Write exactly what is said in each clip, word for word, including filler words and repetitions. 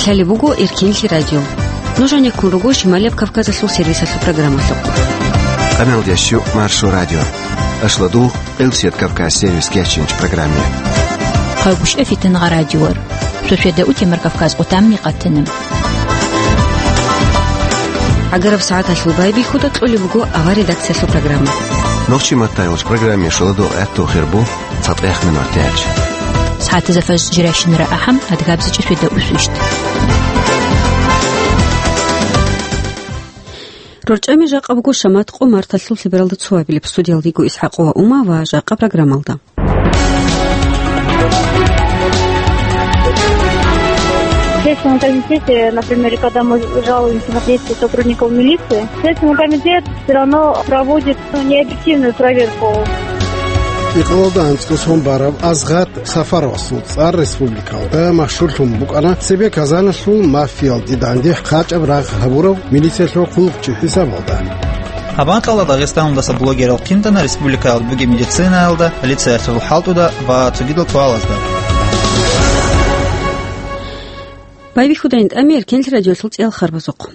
Лъалеб буго Эркенлъи радио. Нуж гьанеккун руго Шималияб Кавказалъул сервисалъул программалъухъ. Къаналда щу Маршо радио. Ашладу Элсият Кавказ сервис кечинч программе. Хъагушев Фитнагъа радиор. Шошеда утемар Кавказ отамни къатана. Агараб сагӀаталъул байбихьуда кьолеб буго авар редакциялъул программа. Нохчи маттайолч программе шоладо гӀатту хирбу. ЦатӀехъ минутач. СагӀатазда фажр жирайщинара ахӀам, адгабзичӀеб шведа усущт. РорчӀами жакъа буго шамат къо марталъул лъебералда цо абилеб. Студиялда йиго ИсхӀакъова Ума ва жакъа программалда. В Следственном комитете, например, когда мы жалуемся на действия сотрудников милиции, Следственный комитет все равно проводит, ну, необъективную проверку. Икъалалда анцӀго сон барав Азгъат Сафаровасул цӀар республикалда машгьурлъун букӀана цебе Казаналъул мафиялде данде хъачӀаб рагъ гьабурав милициялъул хъулухъчи хӀисабалда. Гьаб анкьалда Дагъистаналдаса блогерал хъинтӀана республикаялда бугеб медицинаялда, полициялъул хӀалтӀуда ва цогидал суалазда. Байбихьудайин тӀами Эркенлъи радиолъул цӀиялхарбазухъ.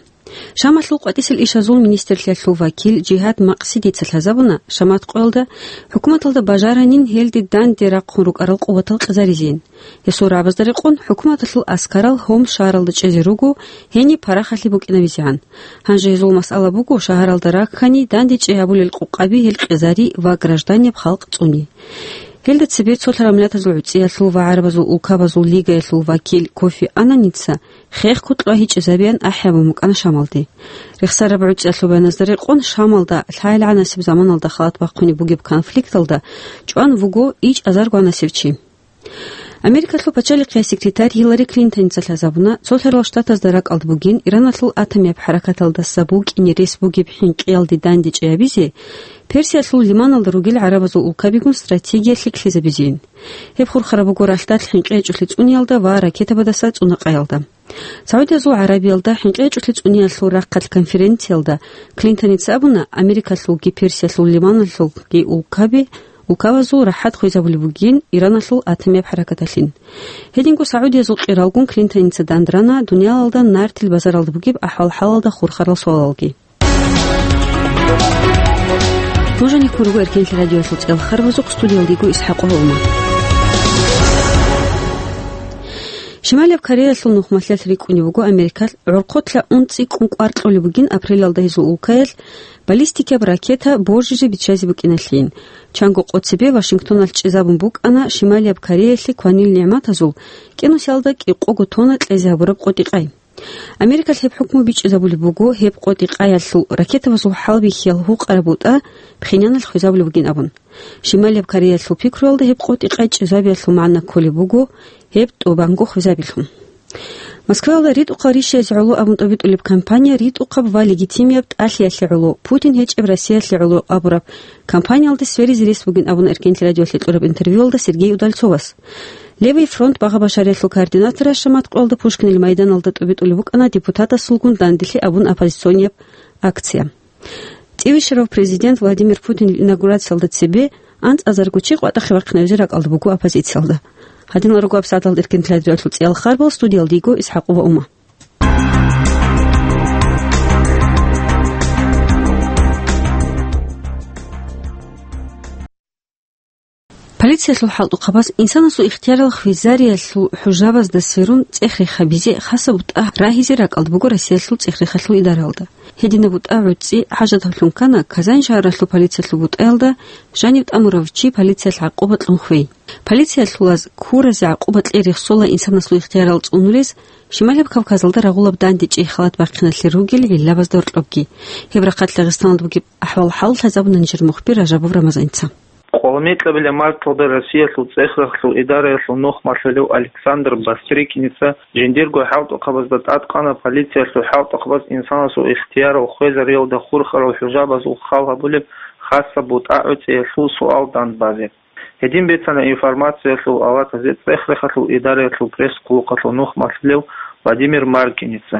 Шамалъул къватӀисел ишазул министрлъиялъул вакил Жигьад Макъсидица лъазабуна, шамат къоялда хӀукуматалда бажаранин гьелде данде рахъун рукӀарал къуватал къизаризейин. Гьесул рагӀабазда рекъон, хӀукуматалъул аскарал Гьомс шагьаралда чӀезе руго, гьениб парахалъи букӀинабизегӀан. Гьанже гьезул масъала буго шагьаралда раккани, дандечӀей гьабулел къукъаби гьел къизари ва гражданияб халкъ цӀуни. Гьелда цебе цолъараб миллатазул гӀуцӀиялъул ва гӀарабазул улкабазул лигаялъул вакил Кофи Аннаница хехго кьвагьичӀезабеян ахӀи гьабун букӀана Шамалде. Рехсараб гӀуцӀиялъул баяназда рекъон, Шамалда лъай-лъагӀанасеб заманалда халат бахъунеб бугеб конфликталда чӀван вуго ичӀазар гванасев чи. Америкалъул пачалихъияс секретарь Гьиллари Клинтоница лъазабуна, цолъарал штатазда ракӀалда бугин Ираналъул атомияб хӀаракаталдаса букӀине рес бугеб хӀинкъиялде дандечӀей гьабизе, Персиялъул лиманалда ругел гӀарабазул улкабигун стратегиялъе ккезабизейин. Гьеб хурхараб буго ралъдалъ хӀинкъи гьечӀолъи цӀуниялда ва ракетабадаса цӀунакъаялда. Саудиязул ГӀарабиялда хӀинкъи гьечӀолъи цӀуниялъул рахъалъ конференциялда Клинтоница абуна, Америкалъулги Персиялъул лиманалъулги улкаби, улкабазул рахӀат хвезабулеб бугин Ираналъул атомияб хӀаракаталъин. Гьединго Саудиязул къиралгун Клинтоница дандрана дуниялалда нартил базаралда бугеб ахӀвал-хӀалалда хурхарал суалалги. Нуж гьанеккун руго Эркенлъи радиоялъул цӀиялхарбазухъ, студиялда йиго ИсхӀакъ Гьома. Шималияб Кореялъул нухмалъиялъ рикӀкӀунеб буго Америкалъ гӀорхъолъа унцӀикӀкӀун кӀвар кьолеб бугин апрелалда гьезул улкаялъ баллистикаб ракета божизе биччазе букӀиналъин. Чанго къо цебе Вашингтоналъ чӀезабун букӀана Шималияб Кореялъе кванил нигӀматазул кӀинусиялда кӀикъого тонна кьезе гьабураб къотӀи-къай. Америкалъ гьеб хӀукму бичӀчӀизабулеб буго, гьеб къотӀи-къаялъул ракетабазул хӀалбихьиял гьукъараб бутӀа Пхеньяналъ хвезабулеб бугин абун. Шималияб Кореялъул пикруялда гьеб къотӀи-къай чӀезабиялъул магӀна кколеб буго гьеб тӀубанго хвезабилъун. Москваялда ритӀухъал рищаязе гӀоло абун тӀобитӀулеб кампания ритӀухъаб ва легитимияб тӀалъиялъе гӀоло Путин гьечӀеб Россиялъе гӀоло абураб кампаниялде сверизе рес бугин абун Эркенлъи радиолъе кьураб интервьюялда Сергей Удальцовас. Левый фронт багъа-башариялъул координаторас шамат къоялда Пушкинил майданалда тӀубитӀулеб букӀана депутатасулгун данделъи абун оппозиционияб акция. ЦӀивищарав президент Владимир Путинил инаугурациялда цебе анцӀазарго чи къватӀахъе вахъинавизе ракӀалда буго оппозициялда. Гьадинал руго гьабсагӀаталда Эркенлъи радиоялъул цӀиялхарбал, студиялда йиго ИсхӀакъ Гьома. Полициялъул хӀалтӀухъабаз инсанасул ихтиярал хвезариялъул хӀужабазда сверун цӀех-рех гьабизе хасаб бутӀа рагьизе ракӀалда буго Россиялъул цӀех-рехалъул идаралда. Гьединаб бутӀа гӀуцӀи хӀажаталъун ккана Казань шагьаралъул полициялъул бутӀаялда жанив тӀамурав чи полициялъ гӀакъуба кьун хвей. Полициялъулаз ккуразе гӀакъуба кьей рехсола инсанасул ихтиярал цӀунулез, Шималияб Кавказалда рагъулаб дандечӀей халат бахъиналъе ругел гӀиллабазда гьоркьобги. Гьеб рахъалъ Дагъистаналда бугеб ахӀвал-хӀал лъазабуна нижер мухбир Ражабов Рамазаница. Къоло микьабилеб марталда Россиялъул цӀех-рехалъул идараялъул нухмалъулев Александр Бастрыкиница жиндирго хӀалтӀухъабазда тӀадкъана полициялъул хӀалтӀухъабаз инсанасул ихтиярал хвезариялда хурхарал хӀужабазул хал гьабулеб хасаб бутӀа гӀуцӀиялъул суал дандбазе. Гьедин бицана информациялъул аватазе цӀех-рехалъул идараялъул пресс-хъулухъалъул нухмалъулев Владимир Маркиница.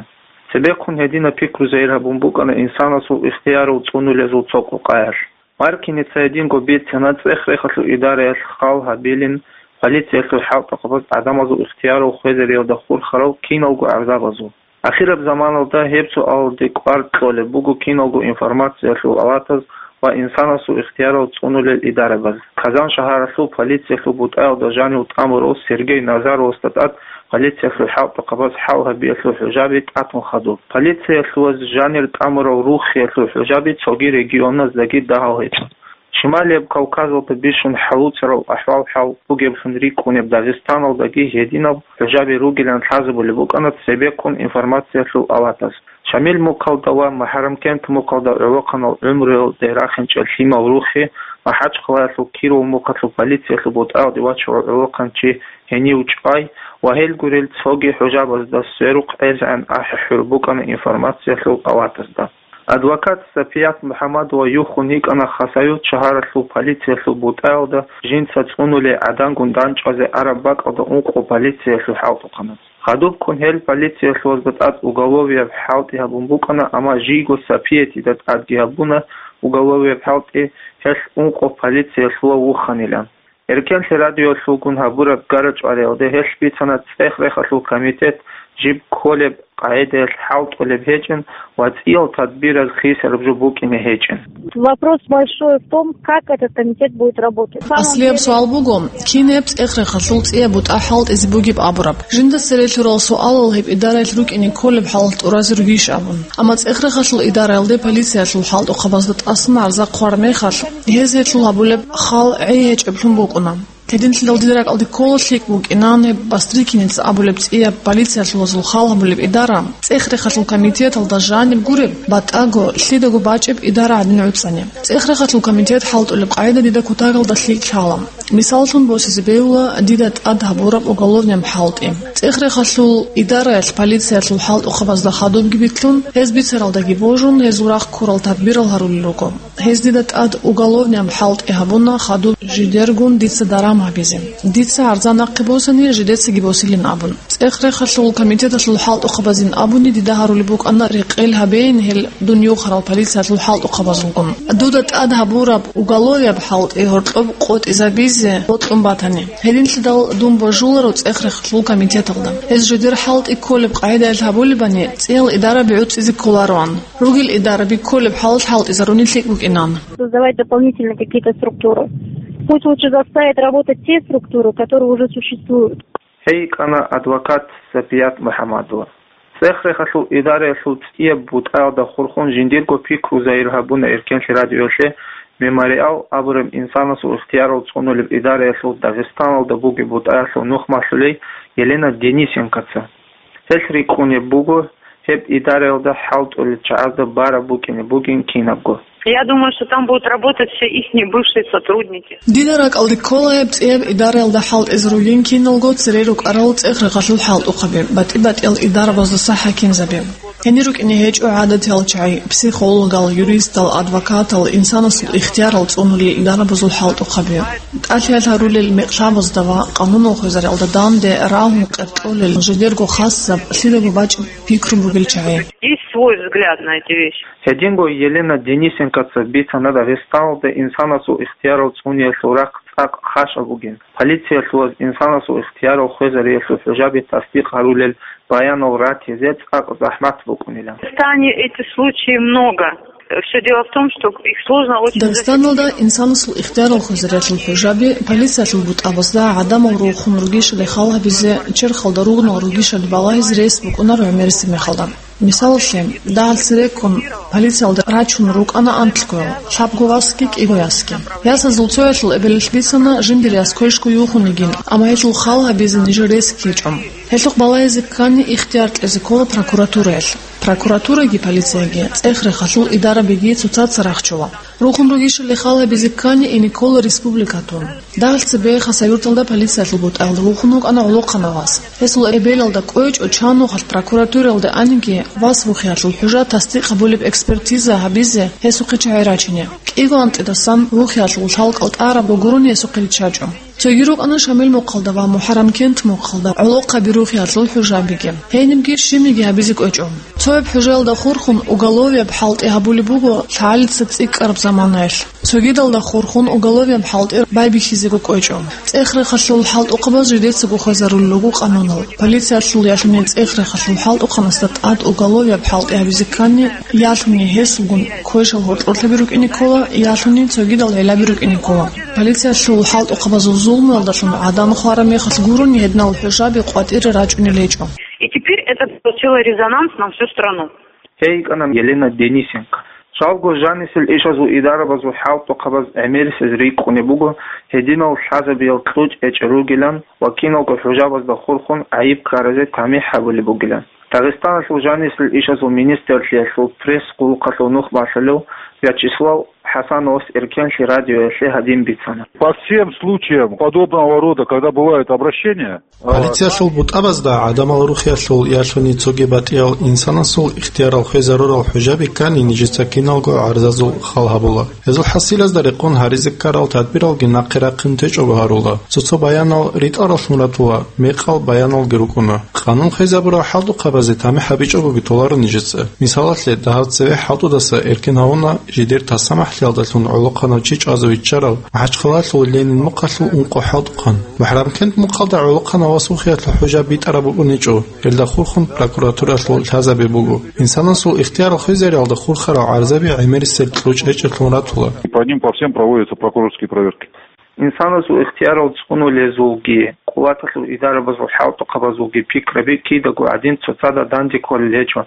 Цебехъун гьединаб пикру загьир гьабун букӀана инсанасул ихтиярал цӀунулезул цо къукъаялъ. Маркиница гьединго бицана цӀех-рехалъул идараялъ хал гьабилин полициялъул хӀалтӀухъабаз гӀадамазул ихтиярал хвезариялда хурхарал киналго гӀарзабазул. Ахираб заманалда гьеб суалалде кӀвар кьолеб буго киналго информациялъул аватаз ва инсанасул ихтиярал цӀунулел идарабаз. Казан шагьаралъул полициялъул бутӀаялда жанив тӀамурав Сергей Назаровасда тӀад полициялъул хӀалтӀухъабаз хӀал гьабиялъул хӀужаби тӀатун хадуб. Полициялъуваз жанир тӀамурал рухиялъул хӀужаби цоги регионаздаги дагьал гьечӀо. Шималияб Кавказалда бищун хӀалуцарал ахӀвал-хӀал бугеблъун рикӀкӀунеб Дагъистаналдаги гьединаб хӀужаби ругилан лъазабулеб букӀана цебеккун информациялъул аватаз. Шамил мухъалда ва МухӀаррамкент мухъалда гӀолохъанал гӀумруялде рахинчӀеб лъимал рухи, МахӀачхъалаялъул Киров мухъалъул полициялъул бутӀаялде вачарав гӀолохъанчи гьенив чӀвай ва гьел гурел цоги хӀужабазда сверухъ гӀезегӀан ахӀи-хӀур букӀана информациялъул аватазда. Адвокат Сапият МухӀаммадова юхун йикӀана Хасавюрт шагьаралъул полициялъул бутӀаялда жинца цӀунулей гӀадангун дандчӀвазе араб бакӀалда ункъо полициялъул хӀалтӀухъаназ. Хадубккун гьел полициялъувазда тӀад уголовияб хӀалтӀи гьабун букӀана, амма жийго Сапиятида тӀадги гьабуна уголовияб хӀалтӀи, гьелъ ункъо полициялъував вуханилан. Эркенлъи радиолъулгун гьабураб гара-чӀвариялде гьелъ бицана ЦӀех-Рехалъул комитет жиб кколеб къагӀидаялъ хӀалтӀулеб гьечӀин ва цӀиял тадбираз хисараб жо букӀине гьечӀин. Вопрос большой в том, как этот комитет будет работать. Аслияб суал буго, кинаб ЦӀех-Рехалъул цӀияб бутӀа хӀалтӀизе бугеб абураб? Жинда цере лъурал суалал гьеб идараялъ рукӀине кколеб хӀал тӀуразе ругищ абун. Амма ЦӀех-Рехалъул идараялде полициялъул хӀалтӀухъабазда тӀасан гӀарза хъвар мехалъ, гьез гьелъул гьабулеб хал гӀей гьечӀеблъун букӀуна. Гьединлъидал дида ракӀалде ккола лъикӀ букӀинан гьеб Бастрыкиница абулеб цӀияб полициялъувазул хал гьабулеб идара, ЦӀех-Рехалъул комитеталда жаниб гуреб, батӀаго, лъидаго бачӀеб идара гӀадин гӀуцӀани. ЦӀех-Рехалъул комитет хӀалтӀулеб къагӀида дида кутакалда лъикӀ лъала. Мисаллъун босизе бегьула дида тӀад гьабураб уголовнияб хӀалтӀи. ЦӀех-Рехалъул идараялъ полициялъул хӀалтӀухъабазда хадубги битлъун, гьез бицаралдаги божун, гьезул рахъ ккурал тадбирал гьарулел руго. Гьез дида тӀад уголовнияб хӀалтӀи гьабуна хадуб жидергун дица даран гьабизе. Дица гӀарза нахъе босани, жидецаги босилин абун. ЦӀех-Рехалъул комитеталъул хӀалтӀухъабазин абуни дида гьарулеб букӀана рекъел гьабейин гьел дун юхарал полициялъул хӀалтӀухъабазулгун. Дуда тӀад гьабураб уголовияб хӀалтӀи гьоркьоб къотӀизабизе бокьун батани. Гьединлъидал дун божуларо ЦӀех-Рехалъул комитеталда. Гьез жидер хӀалтӀи кколеб къагӀидаялъ гьабулебани, цӀиял идараби гӀуцӀизе кколароан. Ругел идараби кколеб хӀалалъ хӀалтӀизаруни лъикӀ букӀинан. Создавать дополнительно какие-то структуры. Пусть лучше заставят работать те структуры, которые уже существуют. Гьей йикӀана адвокат Сапият МухӀаммадова. ЦӀех-Рехалъул идараялъул цӀияб бутӀаялда хурхун жиндирго пикру загьир гьабуна Эркенлъи радиоялъе «Мемориал» абураб инсанасул ихтиярал цӀунулеб идараялъул Дагъистаналда бугеб бутӀаялъул нухмалъулей Елена Денисенкоца. Гьелъ рикӀкӀунеб буго гьеб идараялда хӀалтӀулел чагӀазда бараб букӀине бугин кинабго. Я думаю, что там будут работать все ихние бывшие сотрудники. Дида ракӀалде ккола гьеб цӀияб идараялда хӀалтӀизе ругин киналго цере рукӀарал ЦӀех-Рехалъул хӀалтӀухъаби, батӀи-батӀиял идарабаздаса хӀакимзаби. Гьенир рукӀине гьечӀо гӀадатиял чагӀи, психологал, юристал, адвокатал, инсанасул ихтиярал цӀунулел идарабазул хӀалтӀухъаби. ТӀалъи гьарулел мекълъабазда ва къанунал хвезариялда данде рагьун къеркьолел жидерго хасаб, лъидаго бачӀеб пикру бугел чагӀи. Есть свой взгляд на эти вещи. Гьединго Елена Денисенкоца бицана Дагъистаналда инсанасул ихтиярал цӀуниялъул рахъ цӀакъ хъащӀаб бугин. Полициялъуваз инсанасул ихтиярал хвезариялъул хӀужаби тасдикъ гьарулел баянал ратизе цӀакъ захӀмат букӀунилан. В Дагестане эти случаи много. Всё дело в том, что их сложно очень Дагъистаналда засечь. Инсанасул ихтиярал хвезариялъул хӀужаби полициялъул бутӀабазда гӀадамал рухун ругищали хал гьабизе, черхалда ругнал ругищали балагьизе рес букӀунаро гӀемерисеб мехалда. Мисалалъе, дагьал цереккун полициялда рачун рукӀана анкьго, лъабго васги кӀиго ясги. Ясазул цоялъул эбелалъ бицана жиндир яс квешго юхун йигин, амма гьелъул хал гьабизе нижер рес гьечӀо. Гьелъухъ балагьизе ккани ихтияр кьезе ккола прокуратураялъ. Прокуратураги полицияги, ЦӀех-Рехалъул идарабиги цоцаца рахчула. Рухун ругищали хал гьабизе ккани ине ккола республикатун. Дагьал цебе Хасавюрталда полициялъул бутӀаялда вухун вукӀана гӀолохъанав вас. Гьесул эбелалда кӀвечӀо чан нухалъ прокуратуралда аниги вас вухиялъул хӀужа тасдикъ гьабулеб экспертиза гьабизе гьесухъе чагӀи рачине. КӀиго анкьидасан вухиялъул лъалкӀал тӀарабго гурони гьесухъе риччачӀо. Цоги рукӀана Шамил мухъалда ва МухӀаррамкент мухъалда гӀолохъаби рухиялъул хӀужабиги. Гьенибги щибниги гьабизе кӀвечӀо. Цояб хӀужаялда хурхун уголовияб хӀалтӀи гьабулеб буго лъагӀалица цӀикӀкӀараб Манаялъ. Цогидалда хурхун уголовияб хӀалтӀи байбихьизего кӀвечӀо. ЦӀех-рехалъул хӀалтӀухъабаз жидецаго хвезарулел руго къанунал. Полициялъул ялъунин цӀех-рехалъул хӀалтӀухъанасда тӀад уголовияб хӀалтӀи гьабизе ккани, ялъунин гьесулгун квешал гьоркьорлъаби рукӀине ккола, ялъунин цогидал гӀелаби рукӀине ккола. Полициялъул хӀалтӀухъабазул зулмуялдалъун гӀадан хвараб мехалъ гурони гьединал хӀужаби къватӀире рачӀунел гьечӀо. И теперь это получило резонанс на всю страну. Гьей йикӀана Елена Денисенко. Жалго, жанисел ишазул идарабазул хӀалтӀухъабаз гӀемерисез рикӀкӀунеб буго гьединал лъазабиял кьучӀ гьечӀел ругилан ва киналго хӀужабазда хурхун гӀайиб ккаразе тамихӀ гьабулеб бугилан. Дагъистаналъул жанисел ишазул министрлъиялъул пресс-къулухъалъул нухмалъулев Вячеслав ХӀасановас Эркенлъи радиоялъе гьадин бицана. По всем случаям подобного рода, когда бывают обращения, Полициялъул бутӀабазда гӀадамал рухиялъул ялъуни цоги батӀиял инсанасул ихтиярал хвезарурал хӀужаби ккани нижеца киналго гӀарзазул хал гьабула. Гьезул хӀасилазда рекъон гьаризе ккарал тадбиралги нахъе рахъин течӀого гьарула. Цо-цо баянал ритӀараллъун ратула, мекъал баяналги рукӀуна. Къанун хвезабурал хӀалтӀухъабазе тамихӀ гьабичӀогоги толаро нижеца. Мисалалъе, дагьав цеве хӀалтӀудаса эркен гьавуна жидер тасамахӀлъиялдалъун гӀолохъанав чи чӀвазе виччарав МахӀачхъалалъул Ленин мухъалъул ункъо хӀалтӀухъан. МухӀарамкент мухъалда гӀолохъанав вас вухиялъул хӀужа битӀараб букӀуничӀо, гьелда хурхун прокуратуралъул лъазаби буго. Инсанасул ихтиярал хвезариялда хурхарал гӀарзаби гӀемерисел кьучӀ гьечӀелъун ратула. По ним по всем проводятся прокурорские проверки. Инсанасул ихтиярал цӀунулезулги, къуваталъул идарабазул хӀалтӀухъабазулги пикраби кидаго гӀадин цоцазда данде кколел гьечӀо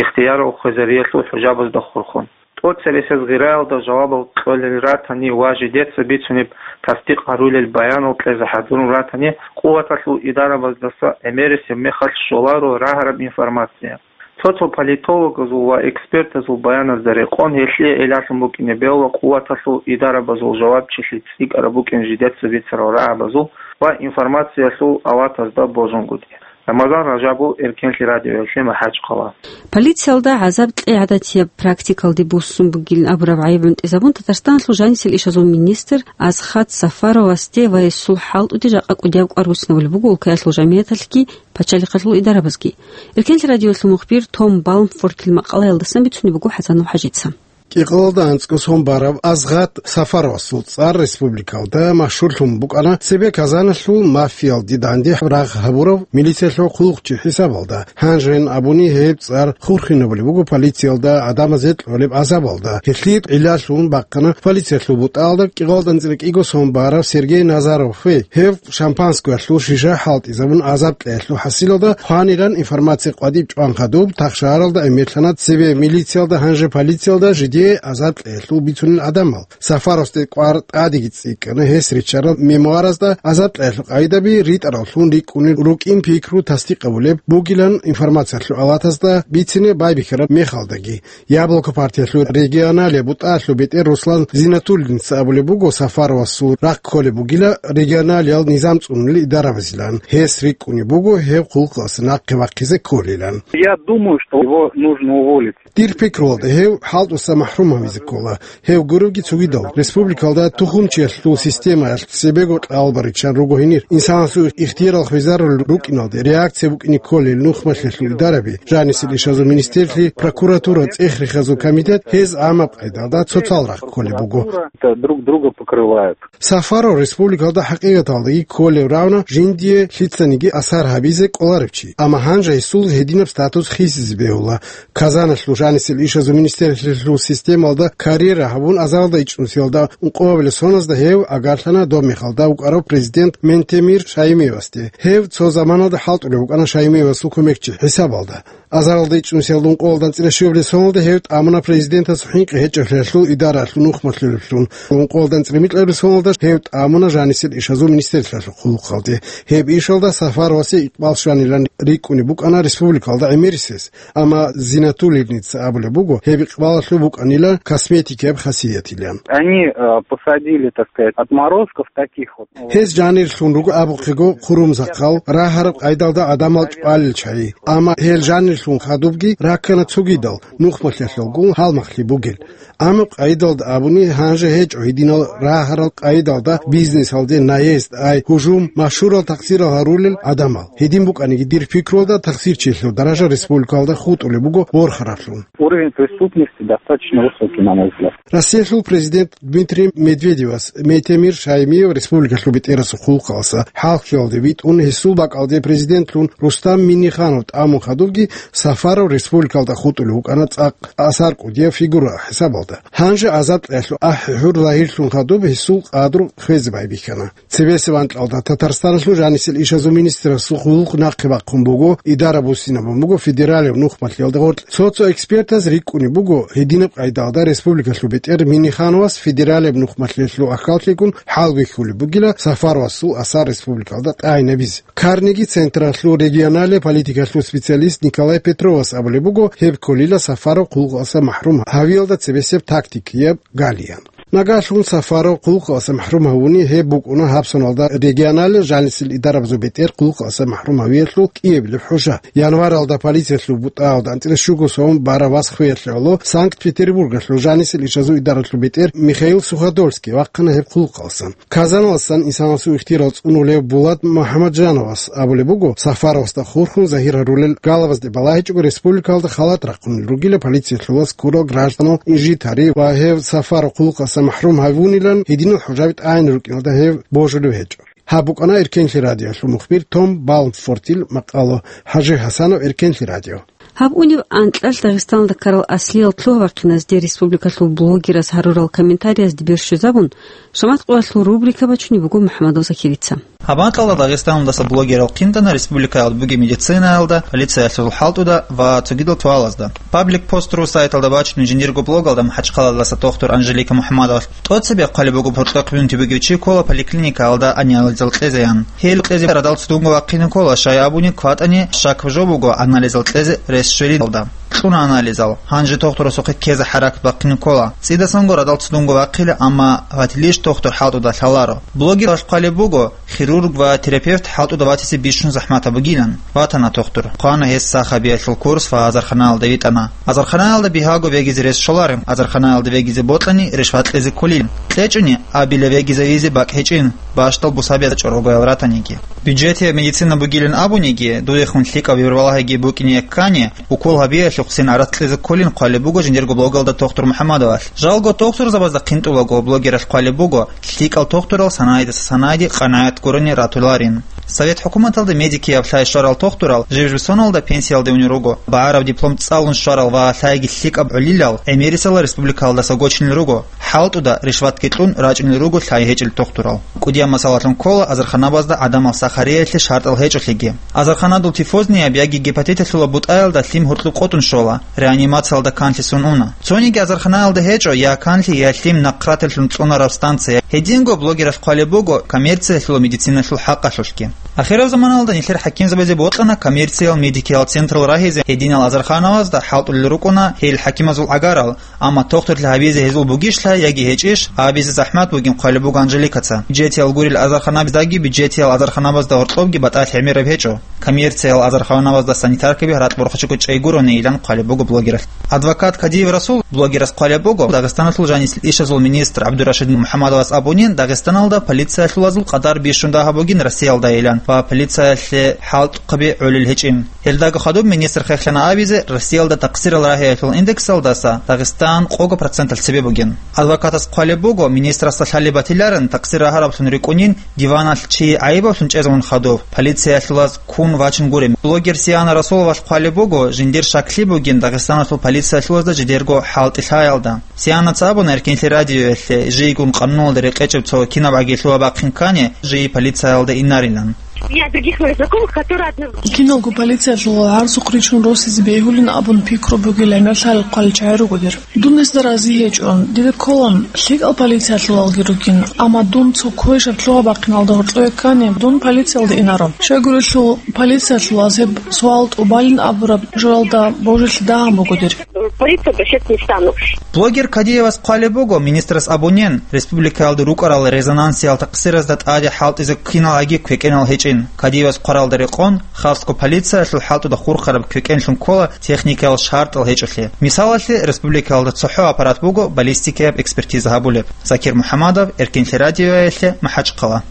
ихтиярал хвезариялъул хӀужабазда хурхун. ТӀоцебесеб гъираялда жавабал кьолел ратани ва жидеца бицунеб тасдикъ гьарулел баянал кьезе хӀадурун ратани, къуваталъул идарабаздаса гӀемерисеб мехалъ щоларо рагьараб информация. Цо-цо политологазул ва экспертазул баяназда рекъон, гьелъие гӀиллалъун букӀине бегьула къуваталъул идарабазул жавабчилъи цӀикӀкӀараб букӀин жидеца бицарал рагӀабазул ва информациялъул аватазда божунгутӀи. Рамазан Ражабов, Эркенлъи радиоялъе, МахӀачхъала. Полициялда гӀазаб кьей гӀадатияб практикалде буссун бугилан абураб гӀайиб гӀунтӀизабун, Татарстаналъул жанисел ишазул министр Азхат Сафаровасде ва гьесул хӀалтӀуде жакъа кӀудияб кӀвар буссинабулеб буго улкаялъул жамигӀаталъги пачалихъалъул идарабазги. Эркенлъи радиолъул мухбир Том Балмфоркил макъалаялдасан бицунеб буго ХӀасанов ХӀажица. КӀикъоялда анцӀго сон барав Азгъат Сафаровасул цӀар республикалда машгьурлъун букӀана цебе Казаналъул мафиялде данде рагъ гьабурав милициялъул хъулухъчи хӀисабалда. Гьанжеян абуни гьеб цӀар хурхинабулеб буго полициялда гӀадамазе кьолеб гӀазабалда. Гьелъие гӀиллалъун бахъана полициялъул бутӀаялда кӀикъоялда анцӀила кӀиго сон барав Сергей Назарове. Гьев шампанскоялъул шиша хӀалтӀизабун гӀазаб кьеялъул хӀасилалда хванилан информация къватӀиб чӀван хадуб, тахшагьаралда гӀемерлъана цебе милициялда, гьанже полициялда жидее гӀазаб кьеялъул бицунел гӀадамал. Сафаровасде кӀвар тӀадеги цӀикӀкӀана, гьес риччарал мемуаразда гӀазаб кьеялъул къагӀидаби ритӀараллъун рикӀкӀунел рукӀин пикру тасдикъ гьабулеб бугилан информациялъул аватазда бицине байбихьараб мехалдаги. Яблоко партиялъул регионалияб бутӀалъул бетӀер Руслан Зинатуллинца абулеб буго, Сафаровасул рахъ кколеб бугила регионалиял низам цӀунулел идарабазилан. Гьес рикӀкӀунеб буго гьев хъулухъалъа нахъе вахъизе кколилан. Я думаю, что его нужно уволить. Дир пикруялда гьев хӀалтӀуса махӀрум гьавизе ккола. Гьев гуребги цогидал, республикалда тухумчиялъул системаялъ цебего кьалбариччан руго гьенир. Инсанасул ихтиярал хвезарулел рукӀиналде реакция букӀине кколел нухмалъиялъул идараби, жанисел ишазул министрлъи, прокуратура, цӀех-рехазул комитет гьез гӀамаб къайдалда цоцал рахъ кколеб буго. Это друг друга покрывают. Сафаров республикалда хӀакъикъаталдаги кколев равна жиндие лъицаниги асар гьабизе кӀоларев чи. Амма гьанже гьесул гьединаб статус хисизе бегьула. Казаналъул жанисел ишазул министрлъиялъул системалда карьера гьабун, азаралда ичӀнусиялда ункъоябилеб соназда гьев агарлъана доб мехалда вукӀарав президент Ментемир Шаймиевасде. Гьев цо заманалда хӀалтӀулев вукӀана Шаймиевасул кумекчи хӀисабалда. Азаралда ичӀнусиялда ункъоялда анцӀила щуабилеб соналда гьев тӀамуна президентасул хӀинкъи гьечӀеблъиялъул идараялъул нухмалъулеблъун. Ункъоялда анцӀила микьабилеб соналда гьев тӀамуна жанисел ишазул министрлъиялъул хъулухъалде. Гьеб ишалда Сафаровасе икъбал щванилан рикӀкӀунеб букӀана республикалда гӀемерисез. Амма Зинатуллиница абулеб буго, гьеб икъбалалъул букӀанила косметикияб хасиятилан. Они, э, посадили, так сказать, отморозков таких вот. Гьез жанирлъун руго абухъего хъурумзахъал, рагьараб къайдалда гӀадамал чӀвалел чагӀи. Амма гьел жанир Лъун хадубги раккана цогидал, нухмалъиялъулгун гьалмагълъи бугел. Амма къайдалда абуни, гьанже гьечӀо гьединал рагьарал къайдалда бизнесалде наезд, ай, гьужум, машгьурал такъсирал гьарулел гӀадамал. Гьедин букӀаниги, дир пикруялда, такъсирчиясул даража республикалда хутӀулеб буго ворхараблъун. Уровень преступности достаточно высокий, на мой взгляд. Россиялъул президент Дмитрий Медведевас Мейтемир Шаймиев республикалъул бетӀерасул хъулухъалъа хӀалхьиялде витӀун, гьесул бакӀалде президентлъун Рустам Минниханов тӀамун хадубги, Сафаров республикалда хутӀулев вукӀана цӀакъ асар кӀудияб фигура хӀисабалда. Гьанже азаркьялъул ахӀи-хӀур загьирлъун хадуб гьесул къадру хвезе байбихьана. Цебесеб анкьалда Татарстаналъул жанисел ишазул министрасул хъулухъ нахъе бахъун буго, идара буссинабун буго федералияб нухмалъиялда гъоркь. Цо-цо экспертаз рикӀкӀунеб буго, гьединаб къайдалда республикалъул бетӀер Миннихановас федералияб нухмалъиялъул ахӀаллъигун хӀалбихьулеб бугила Сафаровасул асар республикалда тӀагӀинабизе. Карнеги централъул регионалияб политикалъул специалист Николай Петровас абулеб буго, гьеб кколила Сафаров хъулухъалъа махӀрум гьавиялда цебесеб тактикияб галиян. Нагагьлъун Сафаров хъулухъалъа махӀрум гьавуни, гьеб букӀуна гьабсаналда регионалияб жанисел идарабазул бетӀер хъулухъалъа махӀрум гьавиялъул кӀиабилеб хӀужа. Январалда полициялъул бутӀаялда анцӀила щуго сом бараб вас хвеялъе гӀоло Санкт-Петербургалъул жанисел ишазул идаралъул бетӀер Михаил Суходольский вахъана гьеб хъулухъалъан. Казаналъан инсанасул ихтияр цӀунулев Булат МухӀамаджановас абулеб буго, Сафаровасда хурхун загьир гьарулел галабазде балагьичӀого республикалда халат рахъунел ругила полициялъулас ккурал гражданал инжит гьари ва гьев Сафаров хъулухъалъа махӀрум гьавунилан гьединал хӀужаби тӀагӀинаб рукӀиналда гьев божулев гьечӀо. Гьаб букӀана Эркенлъи радиолъул мухбир Том Балмфортил макъало. ХӀажи ХӀасанов, Эркенлъи радио. Гьаб унеб анкьалъ Дагъистаналда ккарал аслиял лъугьа-вахъиназде республикалъул блогераз гьарурал комментариязде бер щвезабун, шамат къоялъул рубрика бачунеб буго МухӀамадов Закирица. Гьаб анкьалда Дагъистаналдаса блогерал хъинтӀана республикаялда бугеб медицинаялда, полициялъул хӀалтӀуда ва цогидал суалазда. Паблик Пост ру сайталда бачунеб жиндирго блогалда МахӀачхъаладаса тохтур Анжелика МухӀаммадовалъ тӀоцебе хъвалеб буго, пурцӀа хъвинти бугев чи ккола поликлиникаялда анализал кьезеян. Гьел кьезе радал цӀунго вахъине ккола, щай абуни кватӀани щакаб жо буго анализал кьезе рес щвелидалда. Кьуна анализал. Гьанже тохтурасухъе ккезе хӀаракат бахъине ккола. ЦӀидасанго радал цӀунго вахъила, амма ватилищ тохтур хӀалтӀуда лъаларо. Блогералъ хъвалеб буго, хирург ва терапевт хӀалтӀуда ватизе бищун захӀматаб бугилан. Ватана тохтур. Хъвана гьес сахабиялъул курс ва азарханаялда витӀана. Азарханаялда бигьаго вегизе рес щолареб, азарханаялда вегизе бокьани, ришват кьезе кколин. КьечӀони, абила вегизавизе бакӀ гьечӀин, бащдал бусабиязда чӀорогоял ратаниги. Бюджетияб медицина бугилин абуниги, дуехун лъикӀаб вирвалагьиги букӀине ккани, укол гьабиялъухъ син гӀарац кьезе кколин хъвалеб буго жиндирго блогалда тохтур МухӀаммадовалъ. Жалго тохтурзабазда хъинтӀулаго блогералъ хъвалеб буго, лъикӀал тохтурал санайдаса санайде къанагӀат гурони ратуларин. Совет хӀукуматалда медикияб лъай щварал тохтурал жиб-жиб соналда пенсиялде унел руго. БагӀараб диплом цӀалун щварал ва лъайги лъикӀаб гӀолилал гӀемерисела республикаялдаса гочунел руго. ХӀалтӀуда ришватги кьун рачӀунел руго лъай гьечӀел тохтурал. КӀудияб масалалъун ккола азарханабазда гӀадамал сахариялъе шартӀал гьечӀолъиги. Азарханадул тифознияб яги гепатиталъула бутӀаялда лъим гьоркьоб къотӀун щола, реанимациялда канлъи сон уна. Цониги азарханаялда гьечӀо я канлъи, я лъим нахъраталъун цӀунараб станция. Гьединго блогералъ хъвалеб буго коммерциялъул медициналъул хӀакъалъулъги. Ахираб заманалда нилъер хӀакимзабазе бокьана коммерциял медикиял централ рагьизе гьединал азарханабазда хӀалтӀулел рукӀуна гьел хӀакимазул гӀагарал, амма тохтурлъи гьабизе гьезул бугищ лъай яги гьечӀищ, абизе захӀмат бугин хъвалеб буго Анжеликаца. Бюджетиял гурел азарханабаздаги бюджетиял азарханабазда гьоркьобги батӀалъи гӀемераб гьечӀо. Коммерциял азарханабазда санитаркаби гьаракь борхачӀого чӀей гуронейилан хъвалеб буго блогералъ. Адвокат Кадиев Расул блогерас хъвалеб буго, Дагъистаналъул жанисел ишазул министр ГӀабдурашид МухӀаммадовас абунин, Дагъистаналда полициялъулазул къадар бищун дагьаб бугин Россиялдайилан ва полициялъе хӀалтӀухъаби гӀолел гьечӀин. Гьелдаго хадуб министр хехлъана абизе, Россиялда такъсирал рагьиялъул индексалдаса Дагъистан къого проценталъ цебе бугин. Адвокатас хъвалеб буго, министрасда лъалеб батиларин такъсир рагьараблъун рикӀкӀунин, диваналъ чи гӀайибаблъун чӀезавун хадуб, полициялъулаз ккун вачун гуреб. Блогер Сиана Расуловалъ хъвалеб буго, жиндир щаклъи бугин Дагъистаналъул полициялъулазда жидерго хӀалтӀи лъаялда. Сианаца абуна Эркенлъи радиоялъе, жийгун къануналда рекъечӀеб цо кинабгӀаги лъугьа-бахъин ккани, жий полициялда инарилан. У меня других моих знакомых, которые одна... Киналго полициялъул гӀарцухъ ричун росизе бегьулин абун пикру бугел гӀемерлъарал хъвалил чагӀи руго дир. Дун гьезда рази гьечӀо. Дида ккола, лъикӀал полициялъулалги ругин, амма дун цо квешаб лъугьа-бахъиналда гьоркьове ккани, дун полициялда инаро. Щайгурелъул полициялъулаз гьеб суал тӀубалин абураб журалда божилъи дагьаб буго дир. Полицию обращаться не стану. Блогер Кадиевас хъвалеб буго, министрас абунин, республикаялда рукӀарал резонансиял такъсиразда тӀаде хӀалтӀизе киналги квекӀенал гьечӀин. Кадиевас хъваралда рекъон, хасго полициялъул хӀалтӀуда хурхараб квекӀенлъун ккола техникаял шартӀал гьечӀолъи. Мисалалъе, республикаялда цохӀо аппарат буго баллистикаяб экспертиза гьабулеб. Закир МухӀаммадов, Эркинлъи радиоялъе, МахӀачхъала.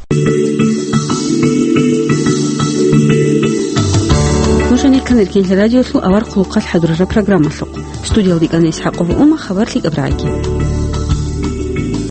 Нуж гьанир ккан Эркинлъи радиолъул авар хъулухъалъ хӀадурараб программалъухъ. Студиялда ккана ИсхӀакъова Ума, хабар лъикӀаб рагӀиги.